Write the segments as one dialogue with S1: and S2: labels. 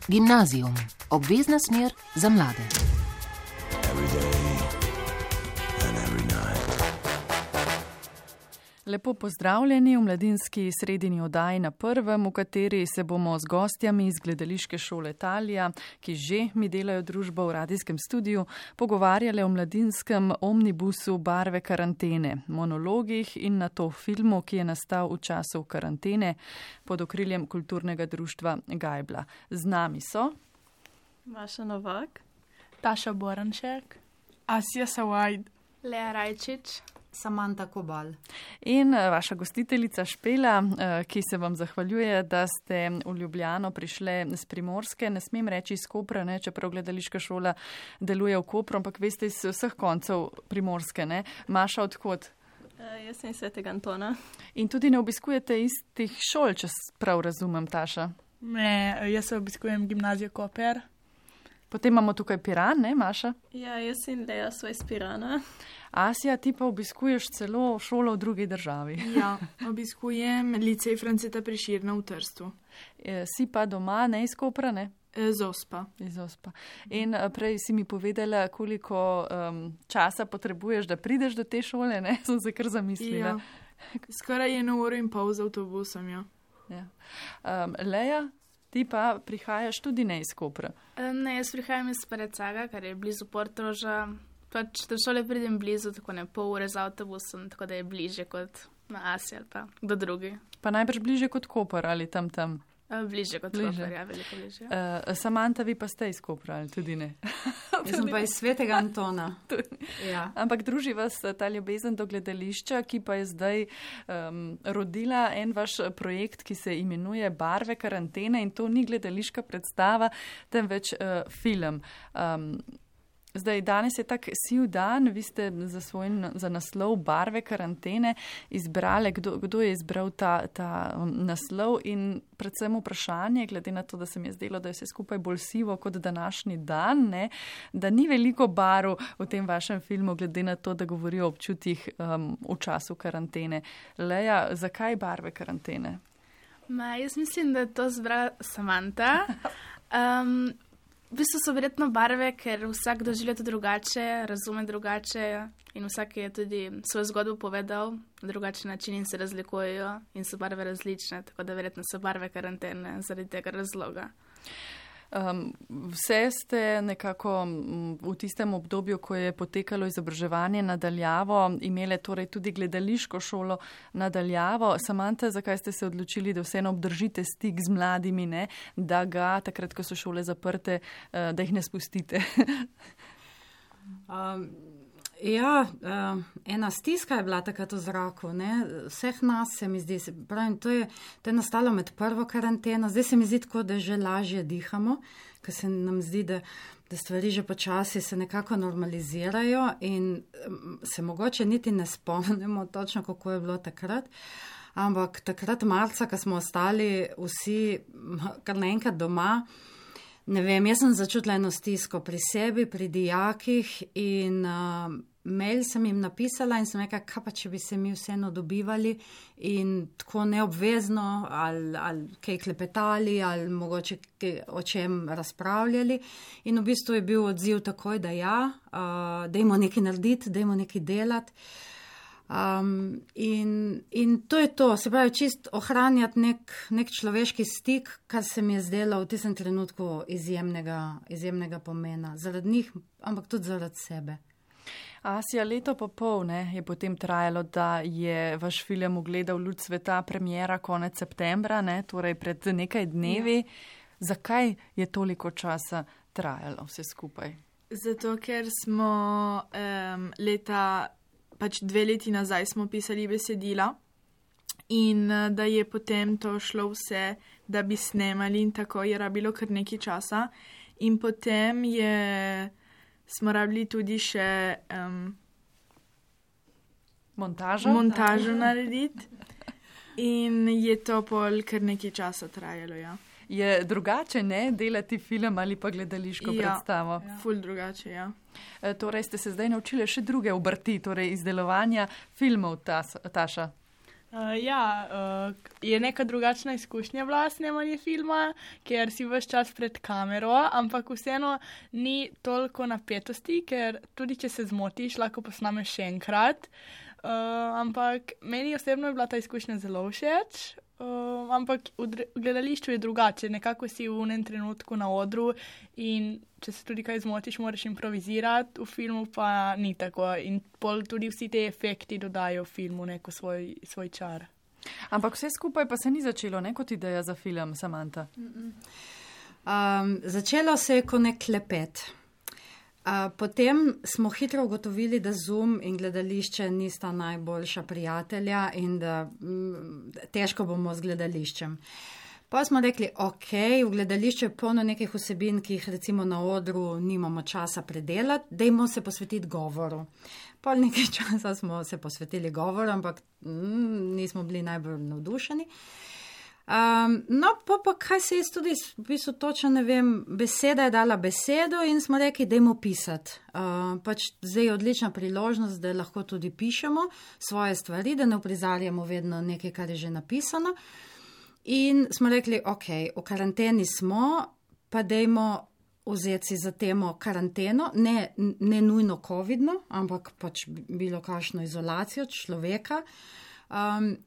S1: Gimnazijum, obvezna smer za mlade.
S2: Lepo pozdravljeni v mladinski sredini oddaji Na prvem, v kateri se bomo z gostjami iz gledališke šole Talija, ki že mi delajo družbo v radijskem studiu, pogovarjali o mladinskem omnibusu Barve karantene, monologih in na to filmu, ki je nastal v času karantene pod okriljem kulturnega društva Gajbla. Z nami so
S3: Maša Novak,
S4: Taša Boranšek,
S5: Asja Sawajd,
S6: Lea Rajčič,
S7: Samanta Kobal.
S2: In vaša gostiteljica Špela, ki se vam zahvaljuje, da ste v Ljubljano prišle z Primorske. Ne smem reči iz Kopra, ne, čeprav gledališka šola deluje v Kopru, ampak veste iz vseh koncev Primorske. Ne. Maša, odkot?
S3: Jaz sem iz Svetega Antona.
S2: In tudi ne obiskujete istih šol, če prav razumem, Taša?
S5: Ne, jaz se obiskujem gimnazijo Koper.
S2: Potem imamo tukaj Piran, ne, Maša?
S3: Ja, jaz in Lea sva iz Pirana.
S2: Asja, ti pa obiskuješ celo šolo v drugi državi.
S5: Ja, obiskujem licej Franceta Prešerna v Trstu.
S2: Si pa doma, ne iz Kopra, ne?
S5: Z Ospa.
S2: Iz Ospa. In prej si mi povedala, koliko časa potrebuješ, da prideš do te šole, ne? Sem se kar zamislila.
S5: Ja. Skoraj 1 uro in pol z avtobusom, ja.
S2: Ja. Lea, ti pa prihajaš tudi ne iz Kopra.
S6: Ne, jaz prihajam iz Parecaga, kar je blizu Portoroža. Pač do šole pridem blizu, tako ne pol ure z avtobusom, tako da je bliže kot na Asi ali pa do drugi.
S2: Pa najbrž bliže kot Koper ali tam?
S6: Bliže kot Koper, ja, veliko bliže.
S2: Samanta, vi pa ste iz Kopra ali tudi ne?
S7: Jaz sem pa iz Svetega Antona.
S2: Ja. Ampak druži vas ta ljubezen do gledališča, ki pa je zdaj rodila en vaš projekt, ki se imenuje Barve karantene, in to ni gledališka predstava, temveč film. Zdaj, danes je tak siv dan, vi ste za naslov Barve karantene izbrali, kdo je izbral ta naslov, in predvsem vprašanje, glede na to, da se mi je zdelo, da je vse skupaj bolj sivo kot današnji dan, ne, da ni veliko barv v tem vašem filmu, glede na to, da govori o občutjih v času karantene. Lea, zakaj Barve karantene?
S6: Jaz mislim, da je to zbrala Samanta. V bistvu so verjetno barve, ker vsak doživlja to drugače, razume drugače in vsak je tudi svojo zgodbo povedal na drugačen način in se razlikujejo in so barve različne, tako da verjetno so barve karantene zaradi tega razloga. Vse
S2: ste nekako v tistem obdobju, ko je potekalo izobraževanje nadaljavo, imele torej tudi gledališko šolo nadaljavo. Samanta, zakaj ste se odločili, da vseeno obdržite stik z mladimi, ne? Da ga takrat, ko so šole zaprte, da jih ne spustite?
S7: Ena stiska je bila takrat v zraku, ne? Vseh nas se mi zdi, pravim, to je nastalo med prvo karanteno, zdaj se mi zdi tako, da že lažje dihamo, ker se nam zdi, da stvari že počasi se nekako normalizirajo in se mogoče niti ne spomnimo točno, kako je bilo takrat. Ampak takrat marca, ko smo ostali vsi kar naenkrat doma, ne vem, jaz sem začutila eno stisko pri sebi, pri dijakih in mail sem jim napisala in sem rekla, kaj pa, če bi se mi vseeno dobivali in tako neobvezno ali kaj klepetali ali mogoče o čem razpravljali. In v bistvu je bil odziv takoj, da ja, dajmo nekaj narediti, dajmo nekaj delati. In to je to, se pravi, čist ohranjati nek človeški stik, kar se mi je zdelo v tistem trenutku izjemnega pomena. Zaradi njih, ampak tudi zaradi sebe.
S2: Asja, leto pa pol je potem trajalo, da je vaš film ugledal luč sveta, premiera konec septembra, ne, torej pred nekaj dnevi. Ja. Zakaj je toliko časa trajalo vse skupaj?
S5: Zato, ker smo pač 2 leti nazaj smo pisali besedila in da je potem to šlo vse, da bi snemali in tako je rabilo kar nekaj časa. In potem smo rabili tudi še montažo narediti in je to pol kar nekaj časa trajalo, ja.
S2: Je drugače, ne, delati film ali pa gledališko predstavo?
S5: Ja, ful drugače, ja.
S2: Torej ste se zdaj naučili še druge obrti, torej izdelovanja filmov, Taša?
S4: Je neka drugačna izkušnja bila snemanje filma, ker si ves čas pred kamero, ampak vseeno ni toliko napetosti, ker tudi če se zmotiš, lahko posnameš še enkrat. Ampak meni osebno je bila ta izkušnja zelo všeč. Ampak v gledališču je drugače, nekako si v enem trenutku na odru in če se tudi kaj zmotiš, moraš improvizirati, v filmu pa ni tako in pol tudi vsi te efekti dodajo filmu neko svoj čar.
S2: Ampak vse skupaj pa se ni začelo, ne kot ideja za film, Samanta?
S7: Začelo se je kot nek klepet. Potem smo hitro ugotovili, da Zoom in gledališče nista najboljša prijatelja in da težko bomo z gledališčem. Pa smo rekli, ok, v gledališču je polno nekih vsebin, ki jih recimo na odru nimamo časa predelati, dajmo se posvetiti govoru. Pol nekaj časa smo se posvetili govoru, ampak nismo bili najbolj navdušeni. Pa kaj se je tudi, v bistvu točno ne vem, beseda je dala besedo in smo rekli, dajmo pisati. Zdaj je odlična priložnost, da lahko tudi pišemo svoje stvari, da ne uprizarjamo vedno nekaj, kar je že napisano. In smo rekli, ok, v karanteni smo, pa dajmo vzeti si za temo karanteno, ne nujno covidno, ampak bilo kakšno izolacijo človeka.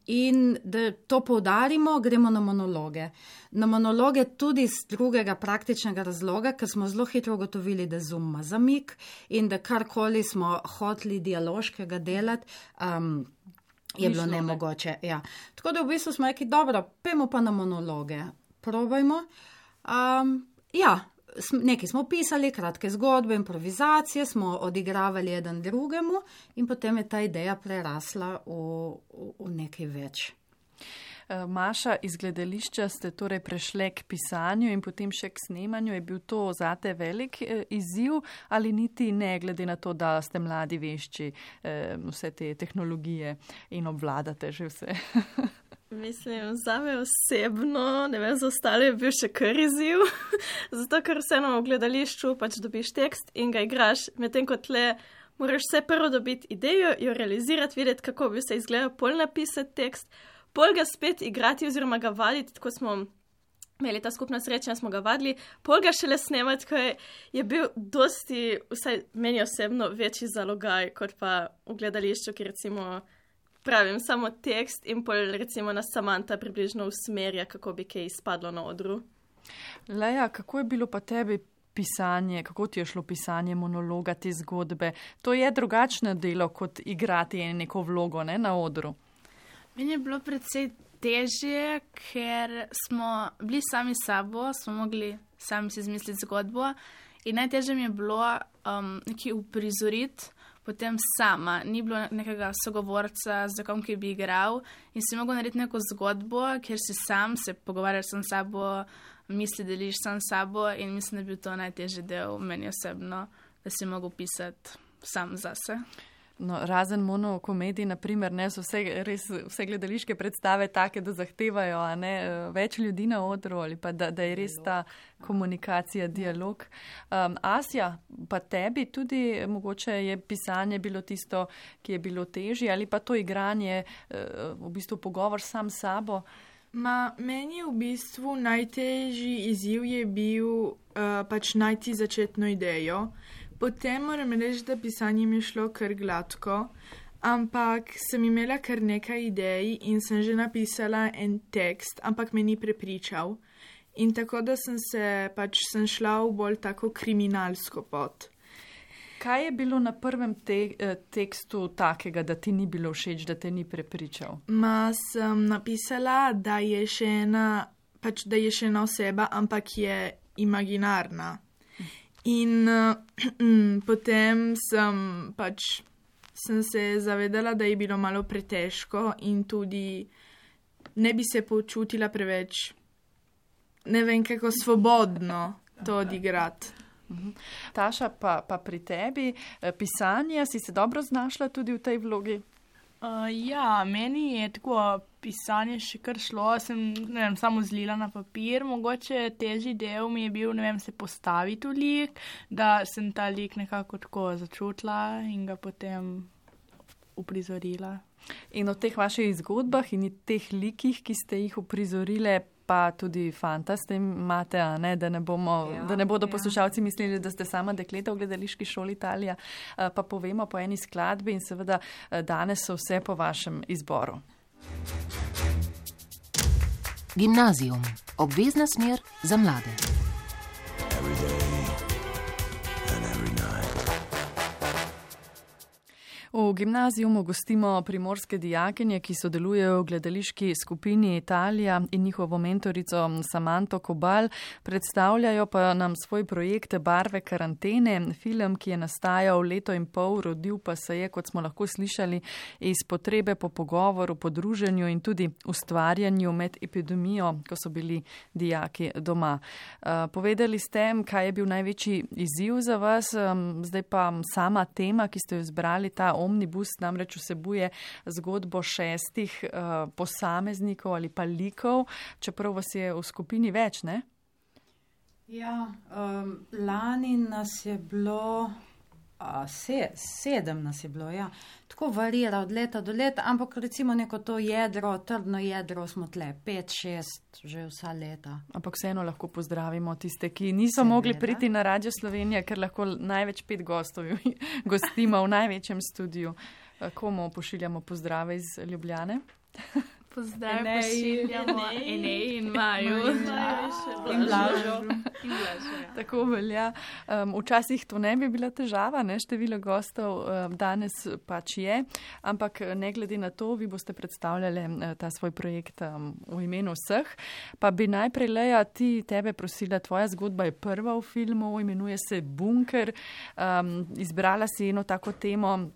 S7: In da to poudarimo, gremo na monologe. Na monologe tudi z drugega praktičnega razloga, ker smo zelo hitro ugotovili, da Zoom ima zamik in da karkoli smo hoteli dialoškega delati, je bilo nemogoče. Ja. Tako da v bistvu smo rekli, dobro, pojmo pa na monologe, probajmo. Nekaj smo pisali, kratke zgodbe, improvizacije, smo odigravali eden drugemu in potem je ta ideja prerasla v nekaj več.
S2: Maša, iz gledališča ste torej prešle k pisanju in potem še k snemanju. Je bil to zate velik izziv ali niti ne, glede na to, da ste mladi vešči vse te tehnologije in obvladate že vse?
S3: Mislim, zame osebno, ne vem, za ostale je bil še kar izziv, zato ker vseeno v gledališču dobiš tekst in ga igraš, medtem kot le moraš vse prvo dobiti idejo, jo realizirati, videti, kako bi se izgledal, pol napisati tekst, pol ga spet igrati oziroma ga vaditi, tako smo imeli ta skupna srečanja, smo ga vadili, pol ga šele snemati, ko je bil dosti, vsaj meni osebno, večji zalogaj, kot pa v gledališču, ki recimo pravim, samo tekst in pol recimo nas Samanta približno usmerja, kako bi kaj izpadlo na odru.
S2: Leja, kako je bilo pa tebi pisanje, kako ti je šlo pisanje monologa, te zgodbe? To je drugačno delo, kot igrati neko vlogo, ne, na odru.
S6: Meni je bilo predvsej težje, ker smo bili sami s sabo, smo mogli sami si izmisliti zgodbo in najtežje mi je bilo nekaj uprizoriti, potem sama, ni bilo nekega sogovorca, z kom, ki bi igral in si mogel narediti neko zgodbo, kjer si sam se pogovarjaš sam s sabo, misli deliš sam s sabo in mislim, da je bil to najtežji del meni osebno, da si mogel pisati sam zase.
S2: No, razen monokomedij, naprimer, ne, so vse gledališke predstave take, da zahtevajo več ljudi na odru ali pa da je res ta komunikacija, dialog. Asja, pa tebi tudi mogoče je pisanje bilo tisto, ki je bilo težje ali pa to igranje, v bistvu pogovor sam s sabo?
S5: Meni v bistvu najtežji izziv je bil najti začetno idejo. Potem moram reči, da pisanje mi je šlo kar gladko, ampak sem imela kar nekaj idej in sem že napisala en tekst, ampak me ni prepričal. In tako da sem šla v bolj tako kriminalsko pot.
S2: Kaj je bilo na prvem tekstu takega, da ti ni bilo všeč, da te ni prepričal?
S5: Sem napisala, da je še ena oseba, ampak je imaginarna. In potem sem se zavedala, da je bilo malo pretežko in tudi ne bi se počutila preveč, ne vem, kako svobodno to odigrati.
S2: Taša, pa pri tebi pisanje, si se dobro znašla tudi v tej vlogi?
S4: Meni je tako pisanje še kar šlo, sem samo zlila na papir, mogoče težji del mi je bil, se postaviti v lik, da sem ta lik nekako tako začutila in ga potem uprizorila.
S2: In o teh vaših zgodbah in teh likih, ki ste jih uprizorile, pa tudi fanta s tem imate, a ne, da ne bodo poslušalci mislili, da ste sama dekleta v gledališki šoli Italija, pa povemo po eni skladbi in seveda danes so vse po vašem izboru.
S1: Gimnazijum. Obvezna smer za mlade.
S2: V gimnazijumu gostimo primorske dijakinje, ki sodelujejo v gledališki skupini Italija in njihovo mentorico Samanto Kobal. Predstavljajo pa nam svoj projekt Barve karantene, film, ki je nastajal leto in pol, rodil pa se je, kot smo lahko slišali, iz potrebe po pogovoru, po druženju in tudi ustvarjanju med epidemijo, ko so bili dijaki doma. Povedali ste, kaj je bil največji izziv za vas, zdaj pa sama tema, ki ste jo izbrali, ta omnibus namreč vsebuje zgodbo 6 posameznikov ali pa likov, čeprav vas je v skupini več, ne?
S7: Ja, lani nas je bilo, 7 nas je bilo, ja. Tako varira od leta do leta, ampak recimo neko to jedro, trdno jedro smo tle, 5-6 že vsa leta.
S2: Ampak vseeno lahko pozdravimo tiste, ki niso mogli priti na Radio Slovenija, ker lahko največ 5 gostov gostimo v največjem studiu. Komu pošiljamo pozdrave iz Ljubljane?
S6: Pozdrav pošiljamo Enej in Maju.
S7: In Blažo.
S2: Tako velja. Včasih to ne bi bila težava, ne? Število gostov danes pač je, ampak ne glede na to, vi boste predstavljali ta svoj projekt v imenu vseh. Pa bi najprej, Leja, tebe prosila, tvoja zgodba je prva v filmu, imenuje se Bunker. Izbrala si eno tako temo,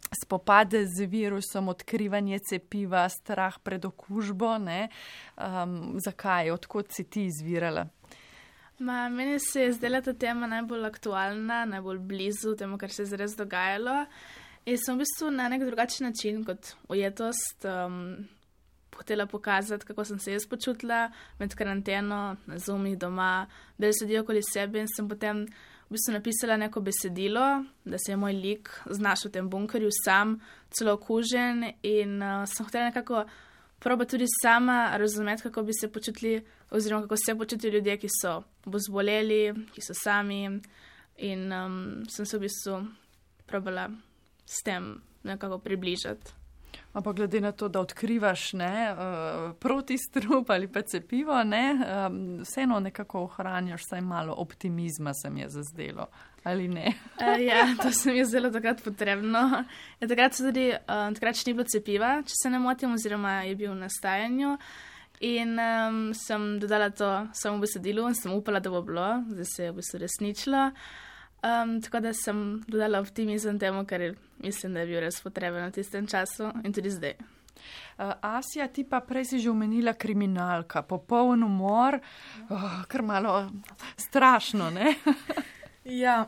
S2: spopade z virusom, odkrivanje cepiva, strah pred okužbo, ne? Zakaj? Odkot si ti izvirala?
S6: Meni se je zdela ta tema najbolj aktualna, najbolj blizu temu, kar se je zares dogajalo. In sem v bistvu na nek drugačen način kot ujetost hotela pokazati, kako sem se jaz počutila med karanteno, na Zoomih doma, da sedijo okoli sebe in sem potem v bistvu napisala neko besedilo, da se je moj lik znašel v tem bunkerju sam, celo okužen in sem hotela nekako probati tudi sama razumeti, kako bi se počutili oziroma kako se počutijo ljudje, ki so zboleli, ki so sami in sem se v bistvu probala s tem nekako približati.
S2: Ampak glede na to, da odkrivaš protistrup ali pa cepivo, vseeno nekako ohranjaš vsaj malo optimizma, se mi je zazdelo, ali ne?
S6: Ja, to se mi je zelo takrat potrebno. Takrat še ni bilo cepiva, če se ne motim, oziroma je bil v nastajanju. In sem dodala to samo v besedilu in sem upala, da bo bilo, zdaj se je v bistvu resničilo. Tako da sem dodala optimizem temu, kar mislim, da je bil res potreben v tistem času in tudi zdaj.
S2: Asja, ti pa prej si že omenila kriminalka, popoln umor, kar malo strašno, ne?
S5: Ja,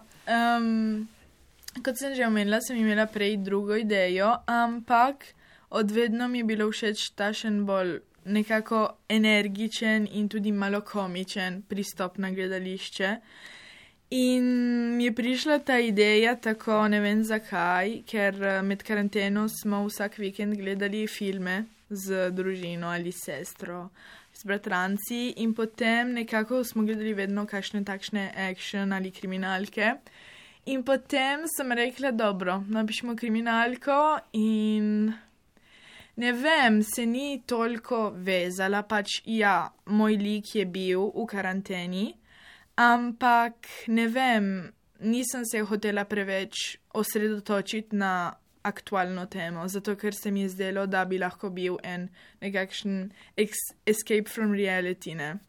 S5: kot sem že omenila, sem imela prej drugo idejo, ampak odvedno mi je bilo všeč tašen bolj nekako energičen in tudi malo komičen pristop na gledališče. In mi je prišla ta ideja tako, ne vem zakaj, ker med karanteno smo vsak vikend gledali filme z družino ali sestro, s bratranci in potem nekako smo gledali vedno kakšne takšne action ali kriminalke. In potem sem rekla, dobro, napišemo kriminalko in ne vem, se ni toliko vezala, pač ja, moj lik je bil v karanteni, ampak ne vem, nisem se hotela preveč osredotočiti na aktualno temo, zato ker se mi je zdelo, da bi lahko bil nekakšen escape from reality, ne?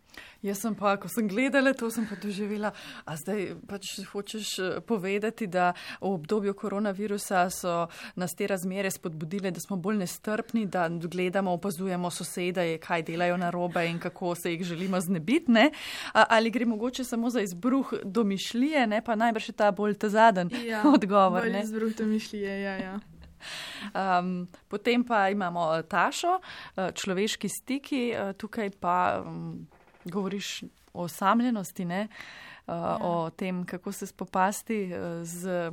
S2: Jaz sem pa, ko sem gledala, to sem pa doživela, a zdaj pač hočeš povedati, da v obdobju koronavirusa so nas te razmere spodbudile, da smo bolj nestrpni, da gledamo, opazujemo sosede, kaj delajo narobe in kako se jih želimo znebiti, ne? Ali gre mogoče samo za izbruh domišljije, ne? Pa najbrž je ta bolj ta zadnji odgovor, ne?
S5: Bolj izbruh domišljije, ja.
S2: Potem pa imamo Tašo, človeški stiki, tukaj pa govoriš o osamljenosti, ne? O tem, kako se spopasti z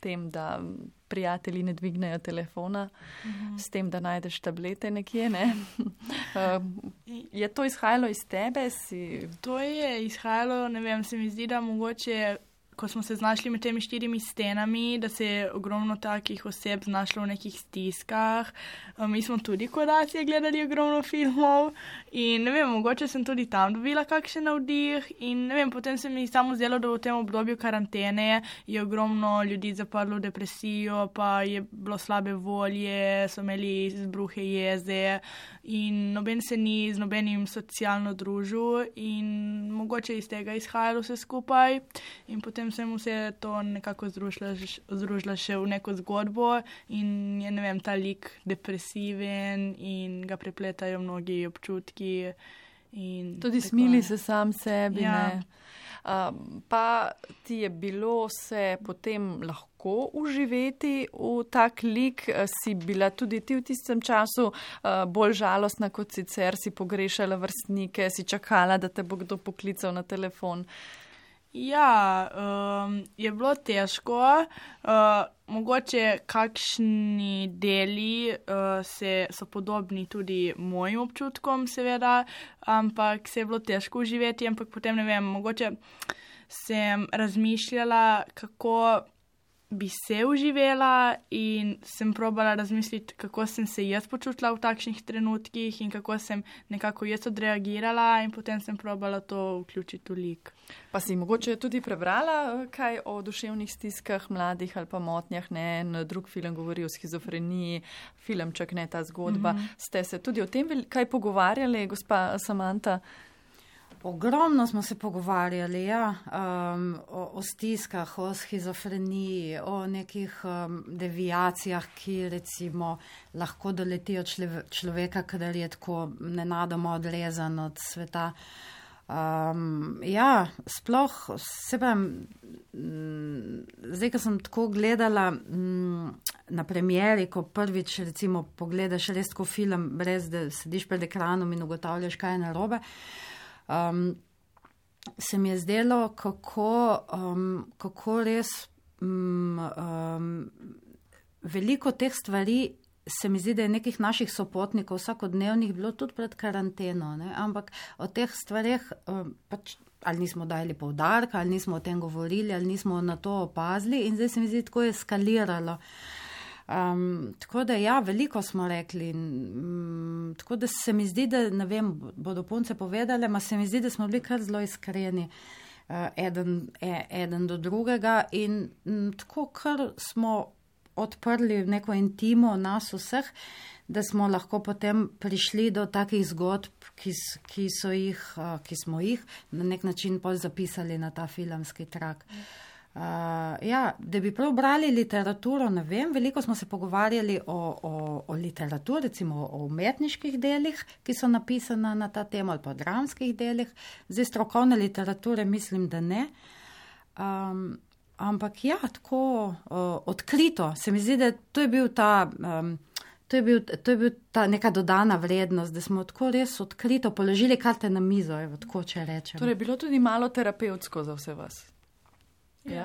S2: tem, da prijatelji ne dvignejo telefona, s tem, da najdeš tablete nekje, ne? Je to izhajalo iz tebe?
S4: To je izhajalo, ne vem, se mi zdi, da mogoče, ko smo se znašli med temi 4 stenami, da se je ogromno takih oseb znašlo v nekih stiskah. Mi smo tudi kodacije gledali ogromno filmov in ne vem, mogoče sem tudi tam dobila kakšen navdih in ne vem, potem se mi samo zdelo, da v tem obdobju karantene je ogromno ljudi zaprlo v depresijo, pa je bilo slabe volje, so imeli izbruhe jeze in noben se ni z nobenim socialno družil in mogoče iz tega izhajalo vse skupaj in potem sem vse to nekako združila še v neko zgodbo in je, ne vem, ta lik depresiven in ga prepletajo mnogi občutki.
S2: Tudi smili se sam sebi, ne? Pa ti je bilo se potem lahko uživeti v tak lik? Si bila tudi ti v tistem času bolj žalostna kot sicer, si pogrešala vrstnike, si čakala, da te bo kdo poklical na telefon?
S4: Ja, je bilo težko. Mogoče kakšni deli so podobni tudi mojim občutkom, seveda, ampak se je bilo težko uživeti, ampak potem, ne vem, mogoče sem razmišljala, kako bi se uživela in sem probala razmisliti, kako sem se jaz počutila v takšnih trenutkih in kako sem nekako jaz odreagirala in potem sem probala to vključiti v lik.
S2: Pa si mogoče tudi prebrala kaj o duševnih stiskah mladih ali pa motnjah, ne? En drug film govori o shizofreniji, filmček, ne, ta zgodba. Ste se tudi o tem kaj pogovarjali, gospa Samanta?
S7: Ogromno smo se pogovarjali, ja, o stiskah, o shizofreniji, o nekih deviacijah, ki recimo lahko doletijo človeka, kadar je tako nenadoma odrezan od sveta. Ja, sploh se pravim, zdaj, ko sem tako gledala na premieri, ko prvič recimo pogledaš res tako film, brez da sediš pred ekranom in ugotavljaš, kaj je narobe, se mi je zdelo, kako res veliko teh stvari se mi zdi, da je nekih naših sopotnikov vsakodnevnih bilo tudi pred karanteno, ne? Ampak o teh stvareh pač ali nismo dali poudarka, ali nismo o tem govorili, ali nismo na to opazili in zdaj se mi zdi, tako je eskaliralo. Tako da ja, veliko smo rekli, tako da se mi zdi, da ne vem, bodo punce povedale, ma se mi zdi, da smo bili kar zelo iskreni eden do drugega in tako kar smo odprli neko intimo nas vseh, da smo lahko potem prišli do takih zgodb, ki smo jih na nek način pol zapisali na ta filmski trak. Ja, da bi prav brali literaturo, ne vem, veliko smo se pogovarjali o literaturi, recimo o umetniških delih, ki so napisana na ta tema, ali pa o dramskih delih. Zdaj strokovne literature mislim, da ne. Ampak ja, tako odkrito. Se mi zdi, da to je bil ta neka dodana vrednost, da smo tako res odkrito položili karte na mizo, evo, tako če rečem.
S2: Torej, bilo tudi malo terapevtsko za vse vas. Ja.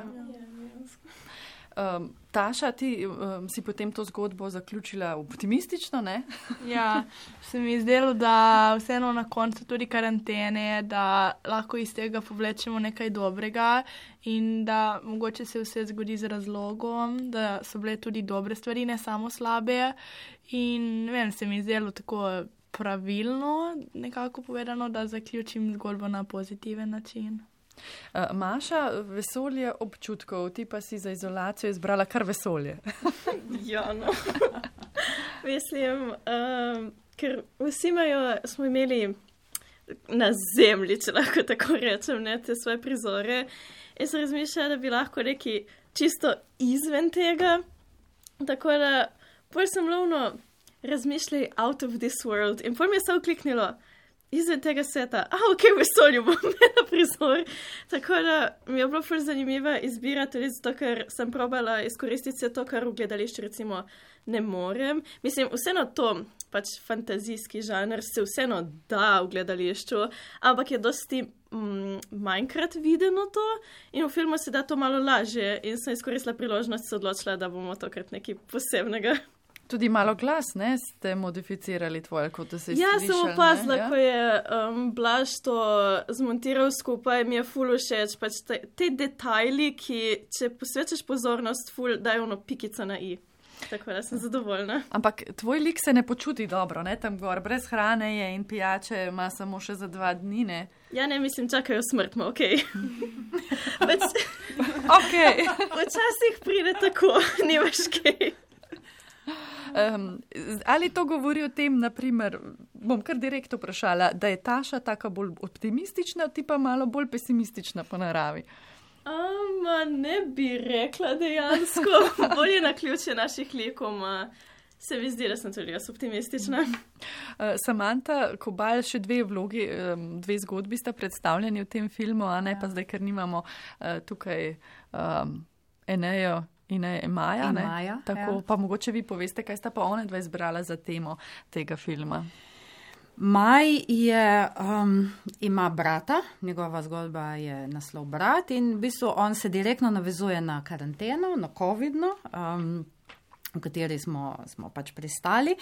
S2: Taša, ti si potem to zgodbo zaključila optimistično, ne?
S4: Ja, se mi je zdelo, da vseeno na koncu tudi karantene, da lahko iz tega povlečemo nekaj dobrega in da mogoče se vse zgodi z razlogom, da so bile tudi dobre stvari, ne samo slabe. In ne vem, se mi je zdelo tako pravilno nekako povedano, da zaključim zgodbo na pozitiven način.
S2: Maša, vesolje občutkov, ti pa si za izolacijo izbrala kar vesolje.
S3: Ja, no. Mislim, ker vsi smo imeli na zemlji, če lahko tako rečem, ne, te svoje prizore. Jaz sem razmišljala, da bi lahko neki čisto izven tega. Tako da bolj sem lovno razmišljala out of this world in bolj mi je se ukliknilo izven tega sveta, ok, v vesolju bom imela prizor. Tako da mi je bilo ful zanimiva izbira, tudi zato, ker sem probala izkoristiti vse to, kar v gledališču recimo ne morem. Mislim, vseeno to, pač fantazijski žanr se vseeno da v gledališču, ampak je dosti manjkrat videno to in v filmu se da to malo lažje in sem izkoristila priložnost, se odločila, da bomo tokrat nekaj posebnega.
S2: Tudi malo glas, ne, ste modificirali tvoj, kot da se je slišal.
S3: Sem opazila, ko je Blaž to zmontiral skupaj, mi je ful všeč, pač te detajli, ki, če posvečaš pozornost, ful dajo ono pikico na i. Tako da sem zadovoljna.
S2: Ampak tvoj lik se ne počuti dobro, ne, tam gor, brez hrane je in pijače ima samo še za 2 dni, ne?
S3: Ja, ne, mislim, čakajo smrt, okej.
S2: Okej.
S3: Včasih pride tako, nimaš kaj.
S2: Ali to govori o tem, naprimer, bom kar direkt vprašala, da je Taša taka bolj optimistična, ti pa malo bolj pesimistična po naravi?
S3: Ne bi rekla dejansko. Bolje na ključje naših likov, se mi zdi, da sem tudi jaz optimistična.
S2: Samanta Kobal, še 2 vlogi, 2 zgodbi sta predstavljeni v tem filmu, a ne pa zdaj, ker nimamo tukaj Enejo in Maja, ne?
S7: Maja,
S2: tako, pa mogoče vi poveste, kaj sta pa one 2 izbrala za temo tega filma.
S7: Maj ima brata, njegova zgodba je naslov Brat in v bistvu on se direktno navezuje na karanteno, na covidno, v kateri smo pač pristali.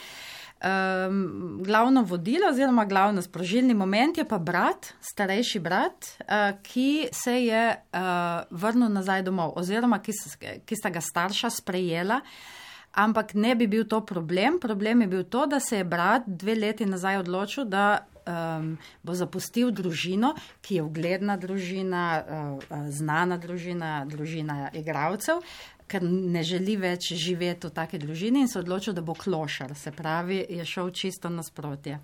S7: Glavno vodilo oziroma glavno sprožilni moment je pa brat, starejši brat, ki se je vrnil nazaj domov oziroma ki sta ga starša sprejela. Ampak ne bi bil to problem. Problem je bil to, da se je brat 2 leti nazaj odločil, da bo zapustil družino, ki je ugledna družina, znana družina, družina igralcev, ker ne želi več živeti v taki družini in se odločil, da bo klošar. Se pravi, je šel čisto nasprotje.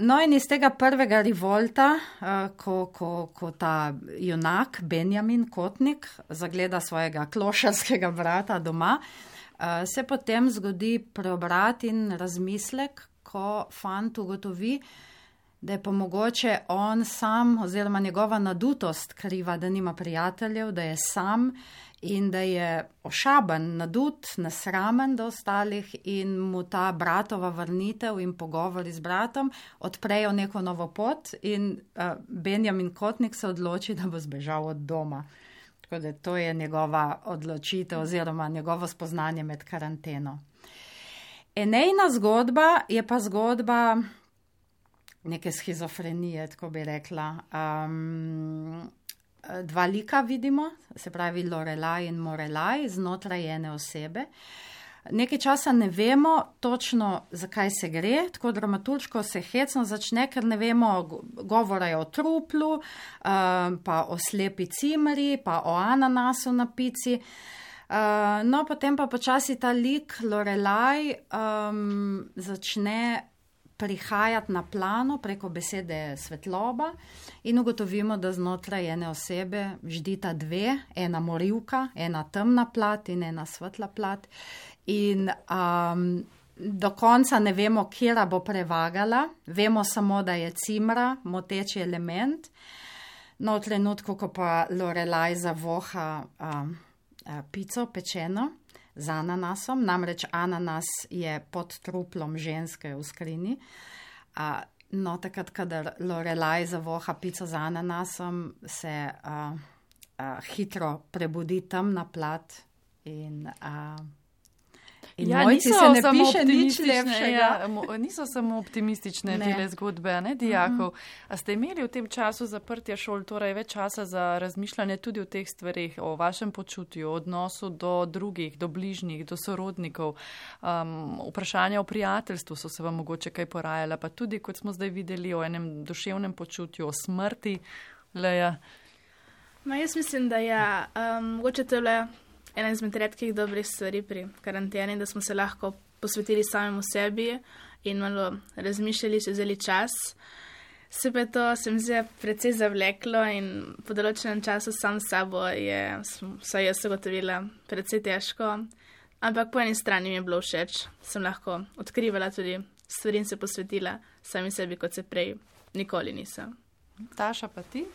S7: No in iz tega prvega revolta, ko ta junak Benjamin Kotnik zagleda svojega klošarskega brata doma, se potem zgodi preobrat in razmislek, ko fant ugotovi, da je pa mogoče on sam oziroma njegova nadutost kriva, da nima prijateljev, da je sam in da je ošaben, nadut, nesramen do ostalih in mu ta bratova vrnitev in pogovori z bratom odprejo neko novo pot in Benjamin Kotnik se odloči, da bo zbežal od doma. Tako da to je njegova odločitev oziroma njegovo spoznanje med karanteno. Enejna zgodba je pa zgodba neke shizofrenije, tako bi rekla. 2 lika vidimo, se pravi Lorelaj in Morelaj, znotraj ene osebe. Nekaj časa ne vemo točno, zakaj se gre, tako dramaturško se hecno začne, ker ne vemo, govora je o truplu, pa o slepi cimri, pa o ananasu na pici. No, potem pa počasi ta lik Lorelaj začne prihajati na plano preko besede svetloba in ugotovimo, da znotraj ene osebe ždita 2, ena morilka, ena temna plat in ena svetla plat. In do konca ne vemo, kjera bo prevagala, vemo samo, da je cimra moteči element. No, v trenutku, ko pa Lorelaj zavoha pico pečeno z ananasom, namreč ananas je pod truplom ženske v skrini. No, takrat, kadar Lorelaj zavoha pico z ananasom, se hitro prebudi temna plat in mojci se ne piše nič lepšega.
S2: Niso samo optimistične tele zgodbe, ne, dijakov. A ste imeli v tem času zaprtja šol torej več časa za razmišljanje tudi o teh stvarih, o vašem počutju, odnosu do drugih, do bližnjih, do sorodnikov, vprašanja o prijateljstvu so se vam mogoče kaj porajala, pa tudi, kot smo zdaj videli, o enem duševnem počutju, o smrti, Leja?
S6: Jaz mislim, da je mogoče tole ena izmed redkih dobrih stvari pri karanteni, da smo se lahko posvetili samemu sebi in malo razmišljali, če vzeli čas. Se pa to se mi zdi precej zavleklo in po določenem času sam s sabo je, vsaj jaz ugotovila, precej težko. Ampak po eni strani mi je bilo všeč, sem lahko odkrivala tudi stvari in se posvetila sami sebi, kot se prej nikoli nisem.
S2: Taša, pa ti?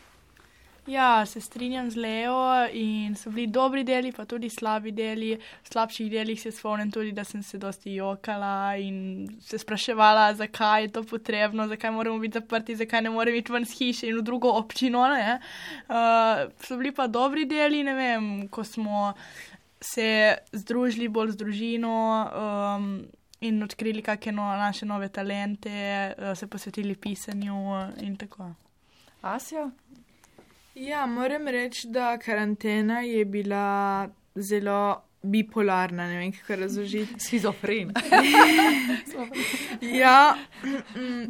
S4: Ja, se strinjam z Leo in so bili dobri deli, pa tudi slabi deli. V slabših delih se spomnim tudi, da sem se dosti jokala in se spraševala, zakaj je to potrebno, zakaj moramo biti zaprti, zakaj ne moremo iti ven z hiše in v drugo občino. So bili pa dobri deli, ne vem, ko smo se združili bolj z družino in odkrili kakšne naše nove talente, se posvetili pisanju in tako.
S2: Asja?
S5: Ja, moram reči, da karantena je bila zelo bipolarna, ne vem, kako razložiti.
S2: Schizofren.
S5: Ja,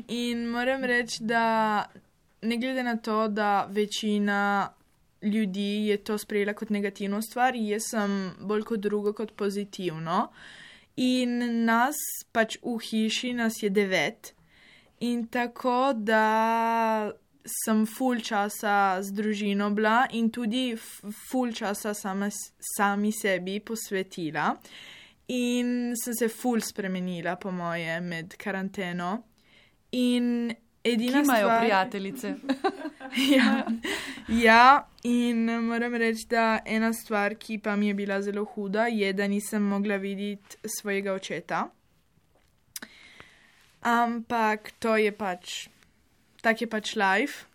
S5: in moram reči, da ne glede na to, da večina ljudi je to sprejela kot negativno stvar, jaz sem bolj kot drugo kot pozitivno. In nas pač v hiši nas je 9 in tako, da sem ful časa z družino bila in tudi ful časa sami sebi posvetila in sem se ful spremenila, po moje, med karanteno. In edina
S2: Ki imajo
S5: stvar...
S2: prijateljice.
S5: Ja, in moram reči, da ena stvar, ki pa mi je bila zelo huda, je, da nisem mogla videti svojega očeta. Ampak to je pač... Tak je pač life.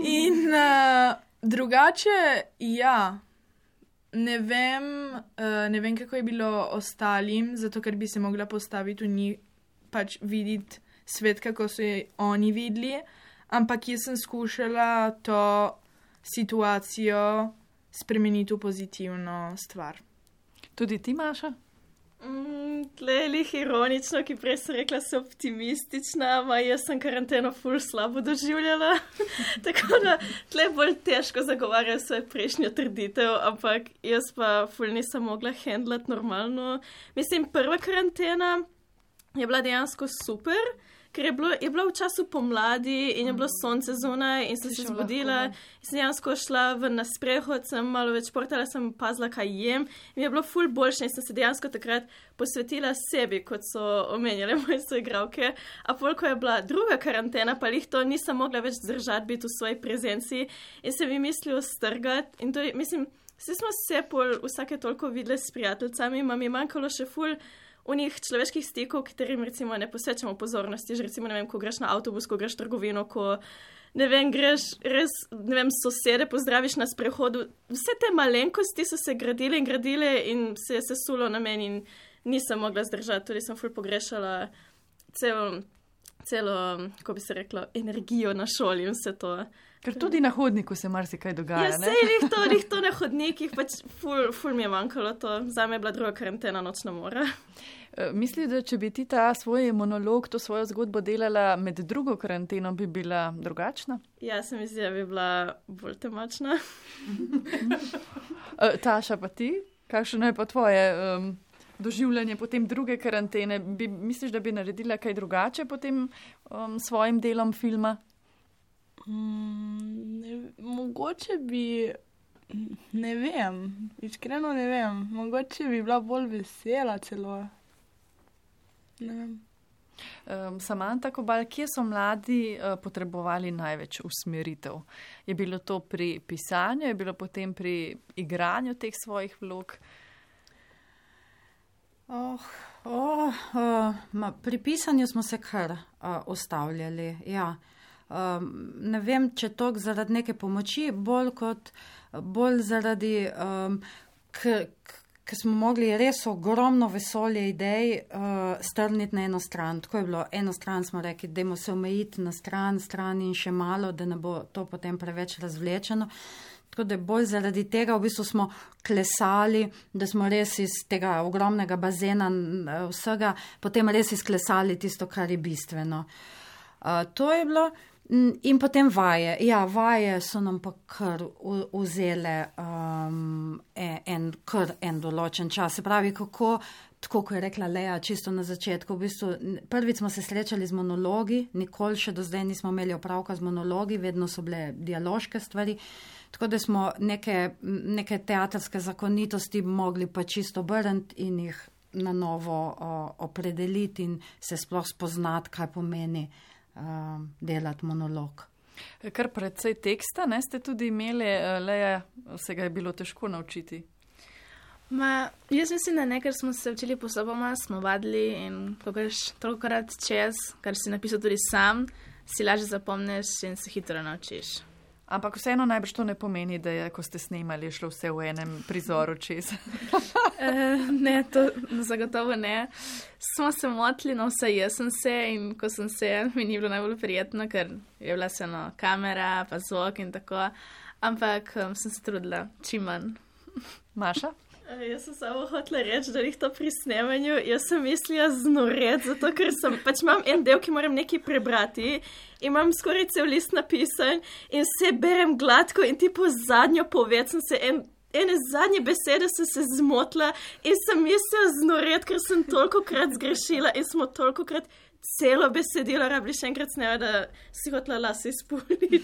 S5: In drugače, ja, ne vem, kako je bilo ostalim, zato ker bi se mogla postaviti v njih, pač videti svet, kako so oni videli, ampak jaz sem skušala to situacijo spremeniti v pozitivno stvar.
S2: Tudi ti, Maša?
S3: Tle je lih ironično, ki prej sem rekla, se optimistična, ma jaz sem karanteno ful slabo doživljala. Tako da tle bolj težko zagovarjam svoje prejšnjo trditev, ampak jaz pa ful nisem mogla handlati normalno. Mislim, prva karantena je bila dejansko super, ker je bila v času pomladi in je bilo sonce zunaj in sem se zbudila in sem dejansko šla ven na sprehod, sem malo več športala, sem pazila, kaj jem in je bilo ful boljše in sem se dejansko takrat posvetila sebi, kot so omenjale moje soigralke. A pol, ko je bila druga karantena, pa lih to nisem mogla več zdržati biti v svoji prezenci in se mi mislil strgati in to je, mislim, vsi smo se pol vsake toliko videli s prijateljicami, ma mi je manjkalo še ful v njih človeških stikov, katerim recimo ne posvečamo pozornosti, že recimo, ne vem, ko greš na avtobus, ko greš v trgovino, ko, ne vem, greš res, ne vem, sosede pozdraviš na sprehodu. Vse te malenkosti so se gradile in se je sesulo na meni in nisem mogla zdržati, tudi sem ful pogrešala celo, ko bi se reklo, energijo na šoli in vse to.
S2: Ker tudi na hodniku se marsikaj dogaja, ne?
S3: Ja, sej to na hodnikih, pač ful mi je manjkalo to. Zame je bila druga karantena nočna mora.
S2: Misliš, da če bi ti ta svoj monolog, to svojo zgodbo delala med drugo karanteno, bi bila drugačna?
S3: Ja, se mi zdi, da bi bila bolj temačna.
S2: Taša, pa ti? Kakšno je pa tvoje doživljanje potem druge karantene? Misliš, da bi naredila kaj drugače potem svojim delom filma?
S4: Mogoče bi, ne vem, iskreno ne vem, mogoče bi bila bolj vesela celo. Ne vem.
S2: Samanta Kobal, kje so mladi potrebovali največ usmeritev? Je bilo to pri pisanju, je bilo potem pri igranju teh svojih vlog?
S7: Pri pisanju smo se kar ustavljali, ja. Ne vem, če toliko zaradi neke pomoči, bolj zaradi, ker smo mogli res ogromno vesolje idej strniti na eno stran. Tako je bilo, eno stran smo rekli, dajmo se omejiti na stran in še malo, da ne bo to potem preveč razvlečeno. Tako da bolj zaradi tega v bistvu smo klesali, da smo res iz tega ogromnega bazena vsega potem res izklesali tisto, kar je bistveno. To je bilo. In potem vaje. Ja, vaje so nam pa kar vzele en določen čas. Se pravi, kako, tako kot je rekla Lea čisto na začetku, v bistvu prvič smo se srečali z monologi, nikoli še do zdaj nismo imeli opravka z monologi, vedno so bile dialoške stvari, tako da smo neke teatrske zakonitosti mogli pa čisto obrniti in jih na novo opredeliti in se sploh spoznati, kaj pomeni delati monolog.
S2: Kar precej teksta, ne, ste tudi imeli, Leja, se ga je bilo težko naučiti.
S6: Jaz mislim, da ne, ker smo se učili postopoma, smo vadili in ko greš tolikokrat čez, kar si napisal tudi sam, si lažje zapomniš in se hitro naučiš.
S2: Ampak vseeno najbrž to ne pomeni, da je, ko ste snemali, šlo vse v enem prizoru čez.
S6: Ne, to zagotovo ne. Smo se motili, no vsaj jaz sem se in ko sem se, mi ni bilo najbolj prijetno, ker je bila vseeno kamera, pa zvok in tako, ampak sem se trudila čim manj.
S2: Maša?
S3: Jaz sem samo hotela reči, da jih to pri snemanju, jaz sem mislila znoret, zato ker sem, pač imam en del, ki moram nekaj prebrati, imam skoraj cel list napisan in vse berem gladko in tipo zadnjo poved sem se ene zadnje besede sem se zmotila in sem mislila znoret, ker sem tolikokrat zgrešila in smo tolikokrat celo besedilo rabili še enkrat snema, da si hotela lase izpuliti.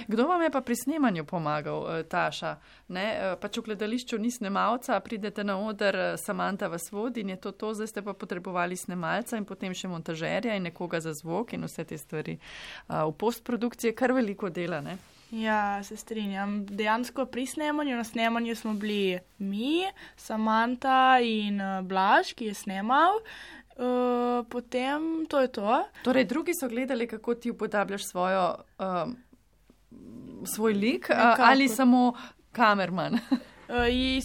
S2: Kdo vam je pa pri snemanju pomagal, Taša? Ne? Pač v gledališču ni snemalca, pridete na oder, Samanta vas vodi in je to, zdaj ste pa potrebovali snemalca in potem še montažerja in nekoga za zvok in vse te stvari. V postprodukciji je kar veliko dela, ne?
S4: Ja, se strinjam. Dejansko pri snemanju, na snemanju smo bili mi, Samanta in Blaž, ki je snemal. Potem to je to.
S2: Torej, drugi so gledali, kako ti upodabljaš svoj lik, ali samo kamerman?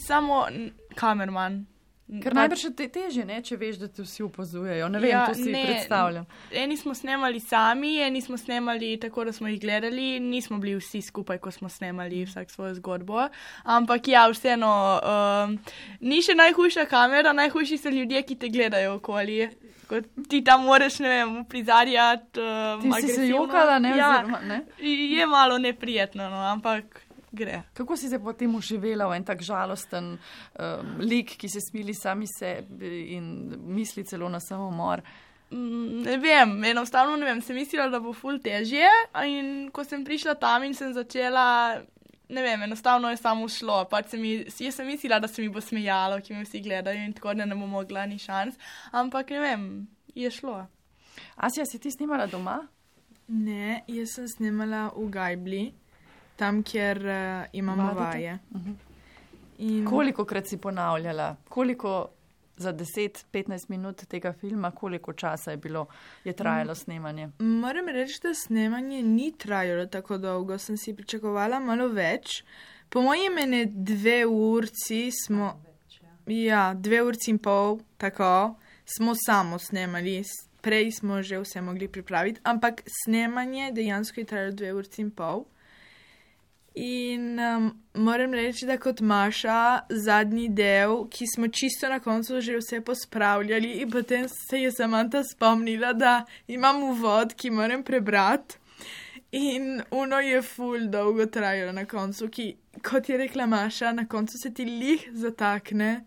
S4: Samo kamerman.
S2: Ker najbrž je težje, ne, če veš, da te vsi opazujejo. Ne vem, to si predstavljam.
S4: Eni smo snemali sami, eni smo snemali tako, da smo jih gledali, nismo bili vsi skupaj, ko smo snemali vsak svojo zgodbo. Ampak ja, vseeno, ni še najhujša kamera, najhujši so ljudje, ki te gledajo okoli. Ko ti tam moraš, ne vem, prizarjati agresivno.
S2: Ti si se jokala, ne?
S4: Ja,
S2: oziroma, ne?
S4: Je malo neprijetno, no, ampak gre.
S2: Kako si se potem uživela v en tak žalosten lik, ki se smili sami sebi in misli celo na samomor?
S4: Ne vem, enostavno ne vem, sem mislila, da bo ful težje in ko sem prišla tam in sem začela, ne vem, enostavno je samo šlo. Pač jaz sem mislila, da se mi bo smejalo, ki me vsi gledajo in tako, da ne bo mogla ni šans, ampak ne vem, je šlo.
S2: Asja, si ti snimala doma?
S5: Ne, jaz sem snimala v Gajbli. Tam, kjer imamo vaje. In
S2: kolikokrat si ponavljala? Koliko za 10-15 minut tega filma, koliko časa je trajalo snemanje?
S5: Moram reči, da snemanje ni trajalo tako dolgo. Sem si pričakovala malo več. Po mojem mene 2 urci smo... Ja, 2 urci in pol, tako, smo samo snemali. Prej smo že vse mogli pripraviti, ampak snemanje dejansko je trajalo 2 urci in pol. In moram reči, da kot Maša, zadnji del, ki smo čisto na koncu že vse pospravljali in potem se je Samanta spomnila, da imam uvod, ki moram prebrati. In ono je ful dolgo trajalo na koncu, ki, kot je rekla Maša, na koncu se ti lih zatakne,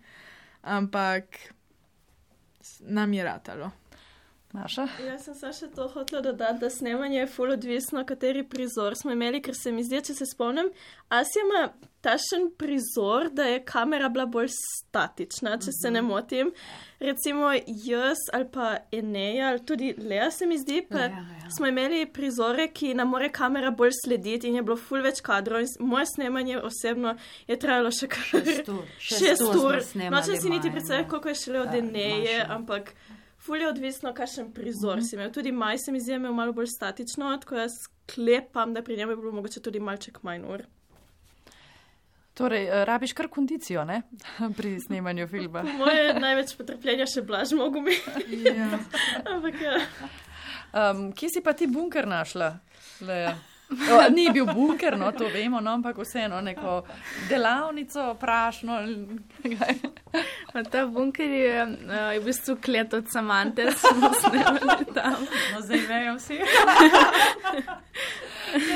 S5: ampak nam je ratalo.
S2: Maša?
S3: Jaz sem še to hotela dodati, da snemanje je ful odvisno, kateri prizor smo imeli, ker se mi zdi, če se spomnim, Asja ima tašen prizor, da je kamera bila bolj statična, če se ne motim. Recimo jaz ali pa Eneja, ali tudi Lea se mi zdi, pa smo imeli prizore, ki nam more kamera bolj slediti in je bilo ful več kadrov. Moje snemanje osebno je trajalo še kar 6 ur. Nočem si niti predstavljati, koliko je šele od Eneje, ampak... Ful je odvisno, kakšen prizor si imel. Tudi Maj se mi zdi imel malo bolj statično, tako jaz sklepam, da pri njem je bilo mogoče tudi malček manj ur.
S2: Torej, rabiš kar kondicijo, ne? Pri snemanju filma.
S3: Moje največ potrpljenja še Blaž mogo mi.
S5: Ja.
S3: Ampak ja.
S2: Kje si pa ti bunker našla, Leja? Ni bil bunker, no, to vemo, no, ampak vseeno neko delavnico, prašno.
S6: Ta bunker je v bistvu klet od Samante, smo snemali tam.
S2: No, zdaj vejo vsi.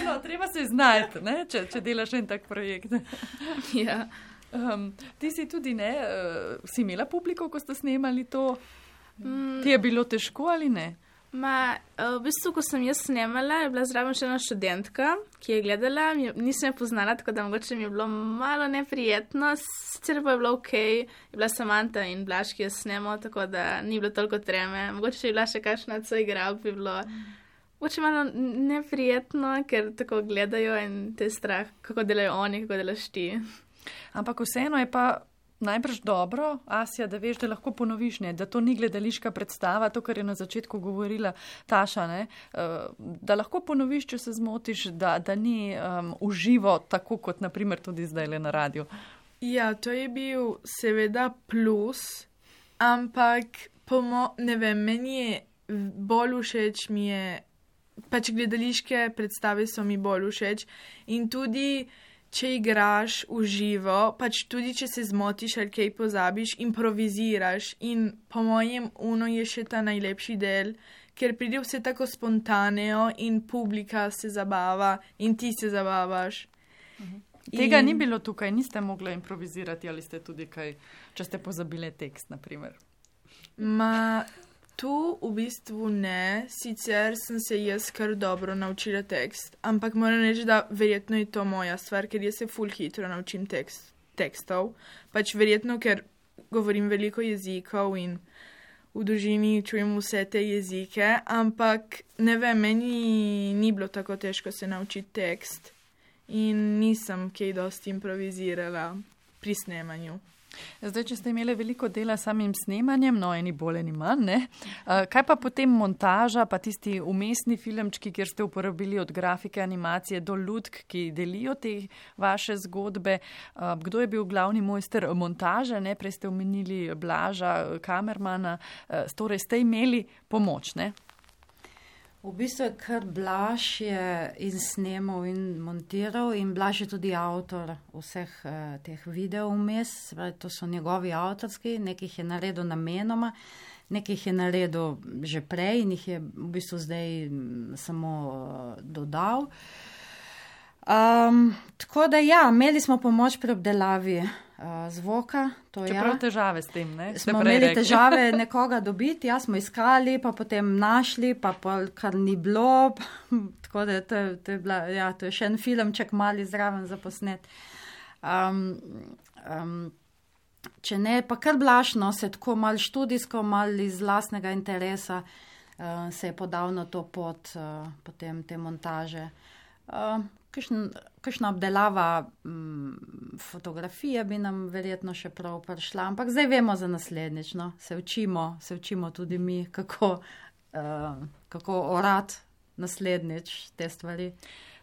S2: No, treba se znajti, ne, če delaš en tak projekt.
S6: Ja.
S2: Ti si tudi, ne, si imela publiko, ko ste snemali to? Ti je bilo težko ali ne?
S6: V bistvu, ko sem jaz snemala, je bila zraven še ena študentka, ki je gledala, nisem jo poznala, tako da mogoče mi je bilo malo neprijetno, sicer pa je bilo okej, je bila Samanta in Blaž, ki je snemal, tako da ni bilo toliko treme, mogoče če je bila še kakšna soigralka, bi bilo Oče malo neprijetno, ker tako gledajo in te strah, kako delajo oni, kako delaš ti.
S2: Ampak vseeno je pa najbrž dobro, Asja, da veš, da lahko ponoviš, ne? Da to ni gledališka predstava, to, kar je na začetku govorila Taša, ne? Da lahko ponoviš, če se zmotiš, da ni uživo, tako kot naprimer tudi zdaj le na radiju.
S5: Ja, to je bil seveda plus, ampak ne vem, meni je bolj všeč, pač gledališke predstave so mi bolj všeč in tudi če igraš v živo, pač tudi če se zmotiš ali kaj pozabiš, improviziraš in po mojem je še ta najlepši del, ker pride vse tako spontano in publika se zabava in ti se zabavaš.
S2: Tega ni bilo tukaj, niste mogli improvizirati ali ste tudi kaj, če ste pozabili tekst, naprimer?
S5: Tu v bistvu ne, sicer sem se jaz kar dobro naučila tekst, ampak moram reči, da verjetno je to moja stvar, ker jaz se ful hitro naučim tekstov. Pač verjetno, ker govorim veliko jezikov in v družini čujem vse te jezike, ampak ne vem, meni ni bilo tako težko se naučiti tekst in nisem kaj dosti improvizirala pri snemanju.
S2: Zdaj, če ste imeli veliko dela s samim snemanjem, no, eni bolj, eni manj, ne? Kaj pa potem montaža, pa tisti umestni filmčki, kjer ste uporabili od grafike, animacije do lutk, ki delijo te vaše zgodbe? Kdo je bil glavni mojster montaže, ne? Prej ste omenili Blaža, kamermana, torej ste imeli pomoč, ne?
S7: V bistvu je kar Blaž je in snemal in montiral in Blaž je tudi avtor vseh teh videov vmes, to so njegovi avtorski, nekih je naredil namenoma, nekih je naredil že prej in jih je v bistvu zdaj samo dodal. Tako da ja, imeli smo pomoč pri obdelavi zvoka.
S2: Čeprav težave s tem, ne?
S7: Smo imeli težave nekoga dobiti, smo iskali, pa potem našli, pa kar ni bilo. Tako da to je bila, ja, to je še en filmček mali zraven za posnet. Če ne, pa kar Blažno se tako malo študijsko, malo iz lastnega interesa se je podal na to pot potem te montaže. Kakšna obdelava fotografije bi nam verjetno še prav prišla, ampak zdaj vemo za naslednjič, no? Se učimo tudi mi, kako orati naslednjič te stvari.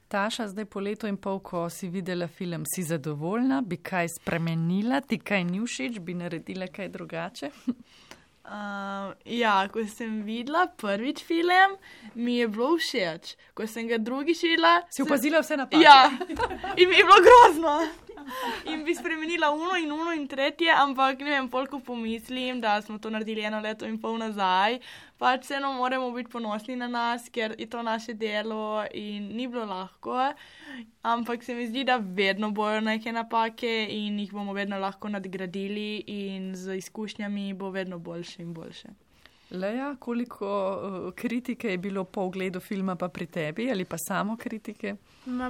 S2: Taša, zdaj po letu in pol, ko si videla film, si zadovoljna, bi kaj spremenila, ti kaj ni všeč, bi naredila kaj drugače?
S4: Ja, ko sem videla prvič film, mi je bilo všeč. Ko sem ga drugič videla...
S2: Si opazila vse napake?
S4: Ja, in mi je bilo grozno. In bi spremenila uno in tretje, ampak ne vem, koliko pomislim, da smo to naredili 1 leto in pol nazaj. Pač vseeno moramo biti ponosni na nas, ker je to naše delo in ni bilo lahko. Ampak se mi zdi, da vedno bojo neke napake in jih bomo vedno lahko nadgradili in z izkušnjami bo vedno boljše in boljše.
S2: Leja, koliko kritike je bilo po ogledu filma pa pri tebi ali pa samo kritike?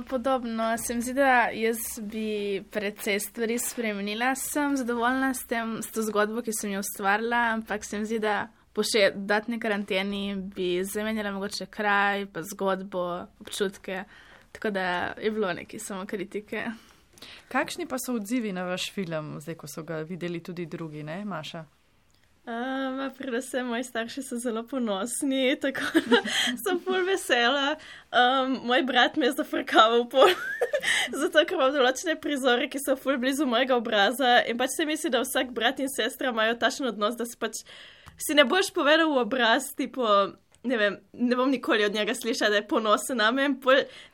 S6: Podobno. Se mi zdi, da jaz bi precej stvari spremenila. Sem zadovoljna s to zgodbo, ki sem jo ustvarila, ampak se mi zdi, da po še dodatni karanteni bi zamenjala mogoče kraj, pa zgodbo, občutke. Tako da je bilo nekaj samo kritike.
S2: Kakšni pa so odzivi na vaš film, zdaj ko so ga videli tudi drugi, ne, Maša?
S3: Predvsem moji starši so zelo ponosni, tako da sem ful vesela. Moj brat me je zafrkaval zato ker imam določene prizore, ki so ful blizu mojega obraza in pač se misli, da vsak brat in sestra imajo takšen odnos, da si ne boš povedal v obraz, tipo, ne vem, ne bom nikoli od njega slišala, da je ponosen name.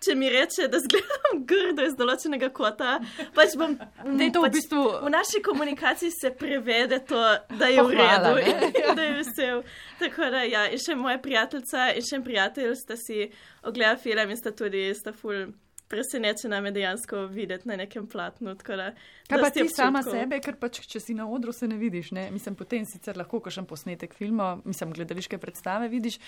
S3: Če mi reče, da zgledam grdo iz določenega kota, pač bom... V naši komunikaciji se prevede to, da je v redu in da je vesel. Tako da, ja, in še moja prijateljica in še en prijatelj sta si ogledali film in sta ful presenečena me dejansko videti na nekem platnu.
S2: Kaj pa ti sama sebe, ker pač, če si na odru, se ne vidiš, ne? Mislim, potem sicer lahko kakšen posnetek filma, gledališke predstave vidiš,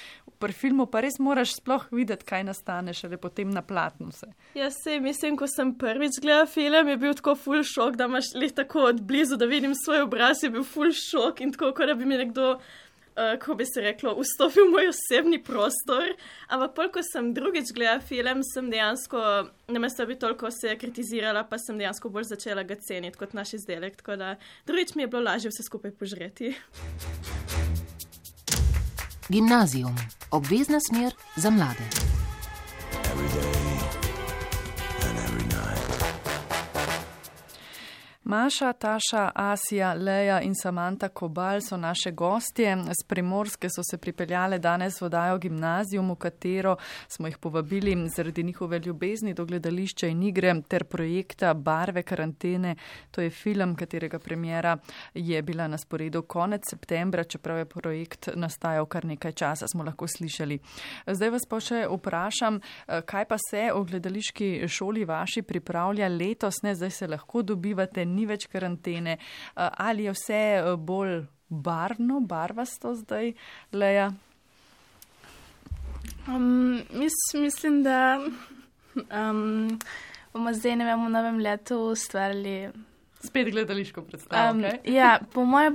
S2: pri filmu pa res moraš sploh videti, kaj nastane, šele potem na platnu se.
S3: Ja, mislim, ko sem prvič gledala film, je bil tako ful šok, da imaš lih tako od blizu, da vidim svoj obraz, je bil ful šok in tako, kot da bi mi nekdo kako bi se reklo, vstopil v moj osebni prostor, ampak pol, ko sem drugič gledala film, sem dejansko, namesto bi toliko se kritizirala, pa sem dejansko bolj začela ga ceniti kot naš izdelek, tako da drugič mi je bilo lažje vse skupaj požreti.
S1: Gimnazijum. Obvezna smer za mlade.
S2: Maša, Taša, Asija, Leja in Samanta Kobal so naše gostje. Z Primorske so se pripeljale danes v oddajo Gimnazijum, v katero smo jih povabili zaradi njihove ljubezni do gledališča in igre ter projekta Barve karantene. To je film, katerega premiera je bila na sporedu konec septembra, čeprav je projekt nastajal kar nekaj časa, smo lahko slišali. Zdaj vas pa še vprašam, kaj pa se v gledališki šoli vaši pripravlja letos, ne? Zdaj se lahko dobivate, ni več karantene, ali je vse bolj barvasto zdaj, Leja?
S6: Mislim, da bomo zdaj, ne vem, v novem letu ustvarili
S2: spet gledališko predstavo, okay?
S6: Ja, po moje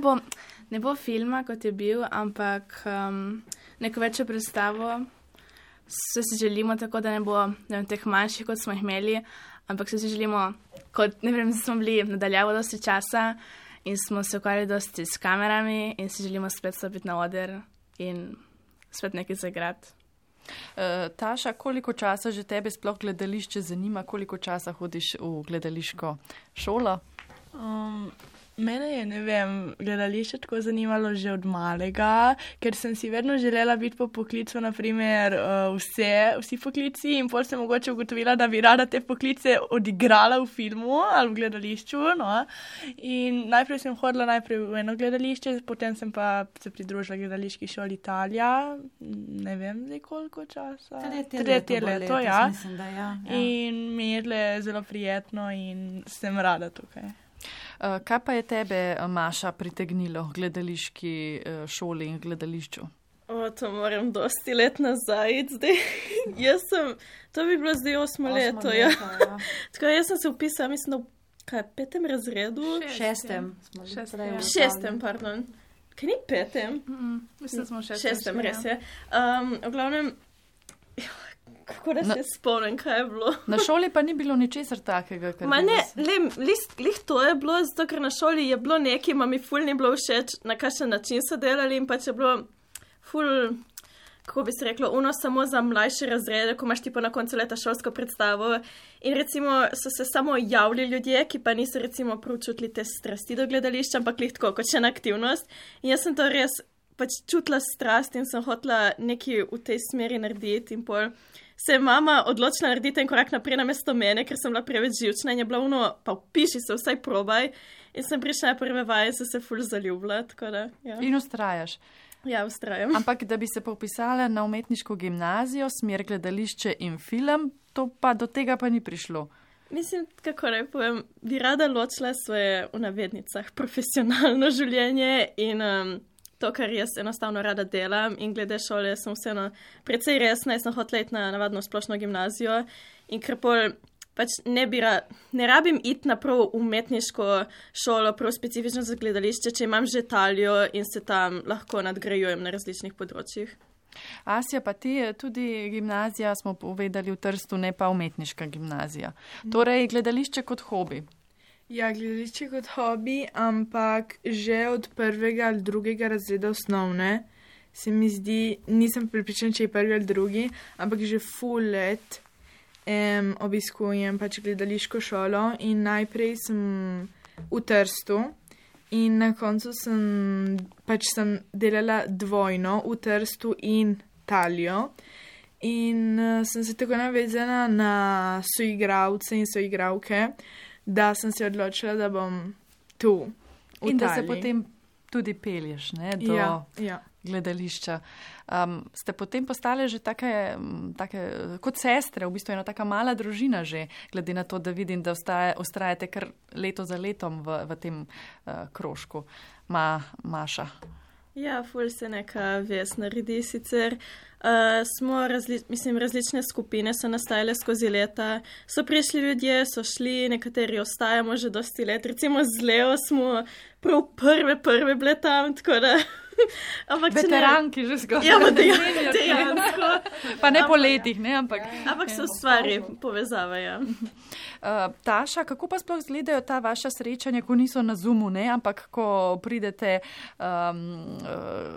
S6: ne bo filma, kot je bil, ampak neko večjo predstavo. Se si želimo tako, da ne bo teh manjših, kot smo jih imeli, ampak se si želimo, kot, ne vem, smo bili nadaljavo dosti časa in smo se ukvarjali dosti s kamerami in si želimo spet stopiti na oder in spet nekaj zaigrati.
S2: Taša, koliko časa že tebe sploh gledališče zanima, koliko časa hodiš v gledališko šolo?
S4: Mene je, ne vem, gledališče tako zanimalo že od malega, ker sem si vedno želela biti po poklicu, naprimer, vsi poklici in pol sem mogoče ugotovila, da bi rada te poklice odigrala v filmu ali v gledališču, no. In najprej sem hodila v eno gledališče, potem sem pa se pridružila gledališki šoli Italija, ne vem zdaj koliko časa. Tretje leto, ja.
S7: Mislim, da ja.
S4: In mi je zelo prijetno in sem rada tukaj.
S2: Kaj pa je tebe, Maša, pritegnilo v gledališki šoli in gledališču?
S3: To moram dosti let nazaj zdaj. To bi bilo zdaj 8 leto, ja. Tako jaz sem se upisala, mislim, v 5. razredu? 6. pardon. Kaj ni 5?
S6: Mislim, da smo 6.
S3: 6. res je. V glavnem, kako da se spomnim, kaj je bilo.
S2: Na šoli pa ni bilo ničesar takega.
S3: Lih to je bilo, zato ker na šoli je bilo nekaj, ma mi ful ni bilo všeč, na kakšen način so delali in pač je bilo ful, kako bi se reklo, samo za mlajše razrede, ko imaš tipo na koncu leta šolsko predstavo in recimo so se samo javili ljudje, ki pa niso recimo preučutili te strasti do gledališča, ampak lih tako, kot še na aktivnost. In jaz sem to res pač čutila strast in sem hotela nekaj v tej smeri narediti in pol se je mama odločila narediti en korak naprej namesto mene, ker sem bila preveč živčna in je bila pa vpiši se, vsaj probaj. In sem prišla na prve vaje in sem se ful zaljubila, tako da, ja.
S2: In ustrajaš?
S3: Ja, ustrajam.
S2: Ampak, da bi se pa vpisala na umetniško gimnazijo, smer gledališče in film, do tega pa ni prišlo.
S3: Mislim, kako naj povem, bi rada ločila svoje, v navednicah, profesionalno življenje in to, kar jaz enostavno rada delam in glede šole sem vseeno precej resna, jaz sem hotela iti na navadno splošno gimnazijo in ker pol pač ne rabim iti na prav umetniško šolo, prav specifično za gledališče, če imam že talijo in se tam lahko nadgrajujem na različnih področjih.
S2: Asja, pa ti tudi gimnazija, smo povedali v Trstu, ne pa umetniška gimnazija. Torej, gledališče kot hobi.
S5: Ja, gledališče kot hobi, ampak že od 1. ali 2. razreda osnovne se mi zdi, nisem pripričana, če je 1. ali 2., ampak že full let obiskujem pač gledališko šolo in najprej sem v Trstu in na koncu sem delala dvojno v Trstu in Talijo in sem se tako navezala na soigralce in soigralke, da sem se odločila, da bom tu, v
S2: in
S5: Italiji.
S2: da se potem tudi pelješ, ne, do gledališča. Ste potem postale že take kot sestre, v bistvu ena taka mala družina že, glede na to, da vidim, da ustrajate kar leto za letom v tem krožku. Maša.
S3: Ja, ful se neka vez naredi sicer. Različne skupine so nastajale skozi leta. So prišli ljudje, so šli, nekateri ostajamo že dosti let. Recimo z Leo smo prav prve bile tam, tako da Ampak
S2: Veteranki že zgolj.
S3: Ja, dejansko.
S2: Pa ne po letih, ne, ampak.
S3: Ampak se ustvari povezava, ja.
S2: Taša, kako pa sploh izgledajo ta vaša srečanja, ko niso na Zoomu, ne, ampak ko pridete